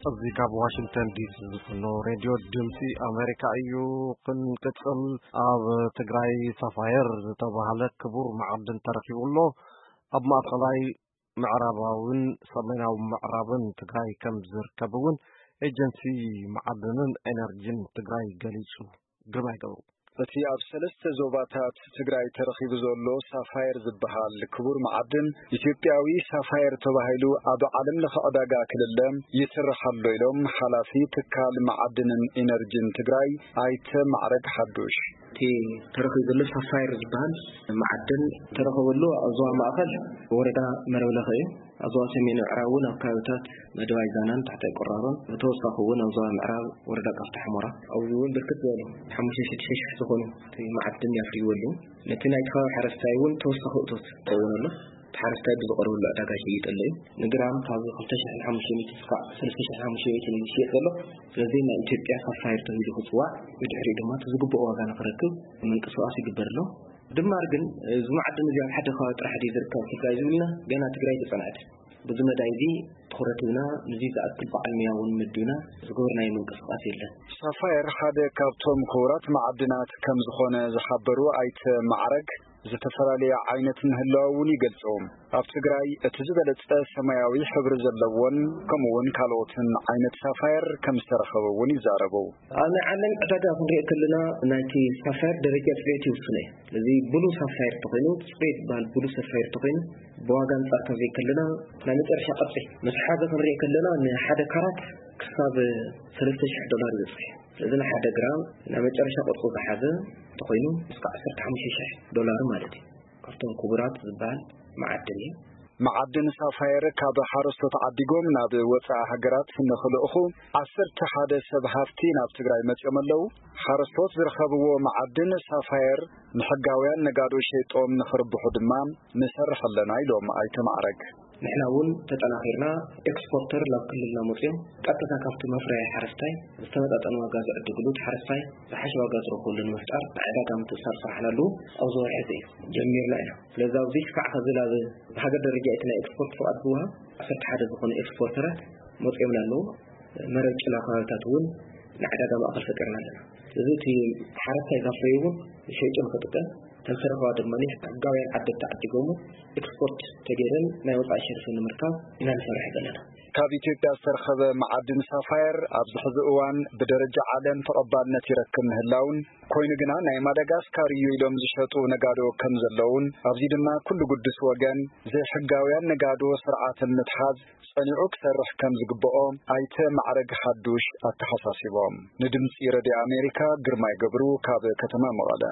እዚ ካብ ዋሽንግተን ዲሲ ዝፍኖ ሬድዮ ድምፂ ኣሜሪካ እዩ። ክንቅፅል፣ ኣብ ትግራይ ሳፋየር ዝተባህለ ክቡር መዓድን ተረኪቡ ኣሎ። ኣብ ማእኸላይ ምዕራባውን ሰሜናዊ ምዕራብን ትግራይ ከም ዝርከብ እውን ኤጀንሲ መዓድንን ኤነርጂን ትግራይ ገሊፁ። ግርማይ ገብሩ። እቲ ኣብ ሰለስተ ዞባታት ትግራይ ተረኺቡ ዘሎ ሳፋየር ዝበሃል ክቡር መዓድን፣ ኢትዮጵያዊ ሳፋየር ተባሂሉ ኣብ ዓለም ለኸ ዕዳጋ ክልለ ይስራሕ ኣሎ ኢሎም ሓላፊ ትካል መዓድንን ኢነርጂን ትግራይ ኣይተ ማዕረግ ሓዱሽ። እቲ ተረኺቡ ዘሎ ሳፋየር ዝበሃል መዓድን ተረኸበሉ ኣብ ዞባ ማእኸል ወረዳ መረብለኸ እዩ። ኣብ ዞባ ሰሜን ምዕራብ እውን ኣብ ከባቢታት መደባይ ዛናን ታሕታይ ቆራሮን፣ ብተወሳኺ እውን ኣብ ዞባ ምዕራብ ወረዳ ቃፍታ ሕሞራ ኣብዚ እውን ብርክት ዝበሉ ሓሙሽተ ሽዱሽተ ሽሕ ዝኾኑ እቲ መዓድን ያፍርይዎ ኣለዉ። ነቲ ናይቲ ከባቢ ሓረስታይ እውን ተወሳኺ እቶት ይኸውን ኣሎ። እቲ ሓረስታይ ብዝቐርበሉ ዕዳጋ ይሸይጠሉ እዩ። ንግራም ካብ ክልተ ሽሕን ሓሙሽተ ሚእትን እስካዕ ሰለስተ ሽሕን ሓሙሽተ ሚእትን እዩ ዝሽየጥ ዘሎ። ስለዚ ናይ ኢትዮጵያ ሳፋየር ተባሂሉ ክፅዋዕ፣ ብድሕሪኡ ድማ እቲ ዝግብኦ ዋጋ ንክረክብ ምንቅስቃስ ይግበር ኣሎ። ድማር ግን እዚ መዓድን እዚ ኣብ ሓደ ከባቢ ጥራሕ ድዩ ዝርከብ ትግራይ ዝብልና፣ ገና ትግራይ ተፀንዐት። ብዙ መዳይ እዚ ትኹረት ሂብና፣ ንዚ ዝኣክል በዓል ሞያ እውን መዲብና ዝገበርናዮ ምንቅስቃስ የለን። ሳፋየር ሓደ ካብቶም ክቡራት መዓድናት ከም ዝኾነ ዝሓበሩ ኣይተ ማዕረግ፣ ዝተፈላለየ ዓይነት ምህላው እውን ይገልጹ። ኣብ ትግራይ እቲ ዝበለጸ ሰማያዊ ሕብሪ ዘለዎን ከምኡ እውን ካልኦትን ዓይነት ሳፋየር ከም ዝተረኸበ እውን ይዛረቡ። ኣብ ናይ ዓለም ዕዳጋ ክንሪኦ ከለና ናይቲ ሳፋየር ደረጃ ጽሬት ይውስኖ እዩ። ስለዚ ብሉ ሳፋየር ተኾይኑ፣ ጽሬት ዝበሃል ብሉ ሳፋየር ተኾይኑ፣ ብዋጋ ኣንጻር ካብ ዘይከለና ናይ መጨረሻ ቅርጺ ምስ ሓዘ ክንሪኦ ከለና ንሓደ ካራት ክሳብ ሰለስተ ሽሕ ዶላር ይበጽሕ። ስለዚ ንሓደ ግራም ናይ መጨረሻ ቅርጹ ዝሓዘ እንተኾይኑ እስከ ዓሰርተ ሓሙሽተ ሽሕ ዶላር ማለት እዩ። ካብቶም ክቡራት ዝበሃል መዓድን እዩ። መዓድን ሳፋየር ካብ ሓረስቶት ዓዲጎም ናብ ወፃኢ ሃገራት ንኽልእኹ ዓሰርተ ሓደ ሰብ ሃፍቲ ናብ ትግራይ መፂኦም ኣለዉ። ሓረስቶት ዝረኸብዎ መዓድን ሳፋየር ንሕጋውያን ነጋዶ ሸይጦም ንኽርብሑ ድማ ንሰርሕ ኣለና ኢሎም ኣይተ ማዕረግ። ንሕና እውን ተጠናኺርና ኤክስፖርተር ናብ ክልልና መፂኦም ቀጥታ ካብቲ መፍረያ ሓረስታይ ዝተመጣጠነ ዋጋ ዝዕድግሉ፣ እቲ ሓረስታይ ዝሓሸ ዋጋ ዝረኽበሉ ንምፍጣር ናይ ዕዳጋ ምትእስሳር ስራሕና ኣለዉ። ኣብዚ ወርሒ እዚ እዩ ጀሚርና ኢና። ስለዚ ኣብዚ ክሳዕ ከዚ ናብ ብሃገር ደረጃ እቲ ናይ ኤክስፖርት ፍቓድ ዝወሃብ ዓሰርተ ሓደ ዝኾኑ ኤክስፖርተራት መፂኦምና ኣለዉ። መረብ ጭላ ከባቢታት እውን ናይ ዕዳጋ ማእኸል ፈጢርና ኣለና። ስለዚ እቲ ሓረስታይ ዘፍረዩ እውን ሸይጡ ንክጥቀም፣ እተን ዝተረኸባ ድማ ሕጋውያን ዓደግቲ ዓዲጎም ኤክስፖርት ተገይረን ናይ ወፃኢ ሸርፊ ንምርካብ ኢና ንሰርሕ ዘለና። ካብ ኢትዮጵያ ዝተረኸበ መዓድን ሳፋየር ኣብዚ ሕዚ እዋን ብደረጃ ዓለም ተቐባልነት ይረክብ ምህላውን፣ ኮይኑ ግና ናይ ማዳጋስካር እዩ ኢሎም ዝሸጡ ነጋዶ ከም ዘለውን፣ ኣብዚ ድማ ኩሉ ግዱስ ወገን ዘይሕጋውያን ነጋዶ ስርዓት ንምትሓዝ ጸኒዑ ክሰርሕ ከም ዝግብኦ ኣይተ ማዕረግ ሓዱሽ ኣተሓሳሲቦም። ንድምፂ ረድዮ ኣሜሪካ ግርማይ ገብሩ ካብ ከተማ መቐለ።